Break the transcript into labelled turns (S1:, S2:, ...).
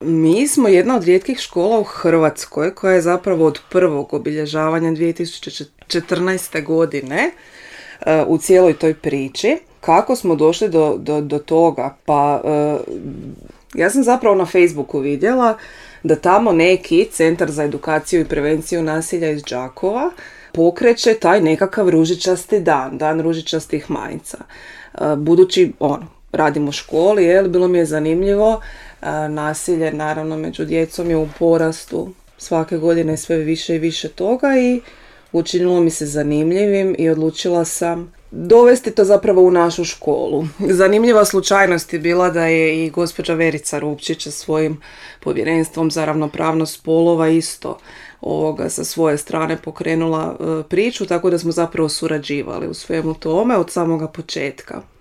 S1: Mi smo jedna od rijetkih škola u Hrvatskoj koja je zapravo od prvog obilježavanja 2014. godine u cijeloj toj priči. Kako smo došli do toga? Pa ja sam zapravo na Facebooku vidjela da tamo neki Centar za edukaciju i prevenciju nasilja iz Đakova pokreće taj nekakav ružičasti dan ružičastih majica. Budući radim u školi, bilo mi je zanimljivo. Nasilje naravno među djecom je u porastu, svake godine sve više i više toga i učinilo mi se zanimljivim i odlučila sam dovesti to zapravo u našu školu. Zanimljiva slučajnost je bila da je i gospođa Verica Rupčić sa svojim povjerenstvom za ravnopravnost spolova isto sa svoje strane pokrenula priču, tako da smo zapravo surađivali u svemu tome od samoga početka.